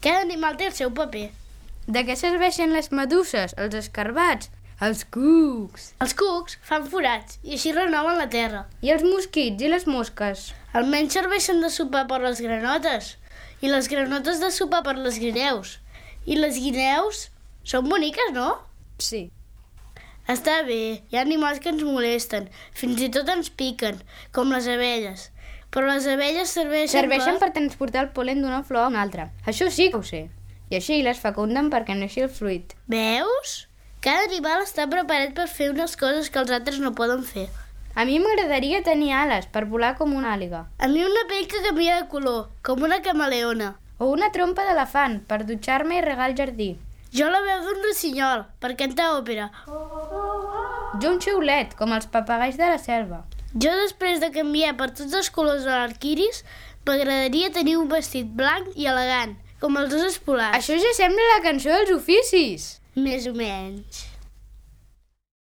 Cada animal té el seu paper. De què serveixen les meduses, els escarbats, els cucs? Els cucs fan forats i així renoven la terra. I els mosquits i les mosques? Almenys serveixen de sopar per les granotes i les granotes de sopar per les guineus. I les guineus són boniques, no? Sí. Està bé, hi ha animals que ens molesten, fins i tot ens piquen, com les abelles. Però les abelles serveixen per transportar el pol·len d'una flor a una altra. Això sí que ho sé. I així les fecunden perquè neixi el fruit. Veus? Cada animal està preparat per fer unes coses que els altres no poden fer. A mi m'agradaria tenir ales per volar com una àliga. A mi una pell que canvia de color, com una camaleona. O una trompa d'elefant per dutxar-me i regar el jardí. Jo la veu d'un rossinyol, per cantar òpera. Jo un xiulet, com els papagais de la selva. Jo, després de canviar per tots els colors de l'arquiris, m'agradaria tenir un vestit blanc i elegant, com els osos polars. Això ja sembla la cançó dels oficis. Més o menys.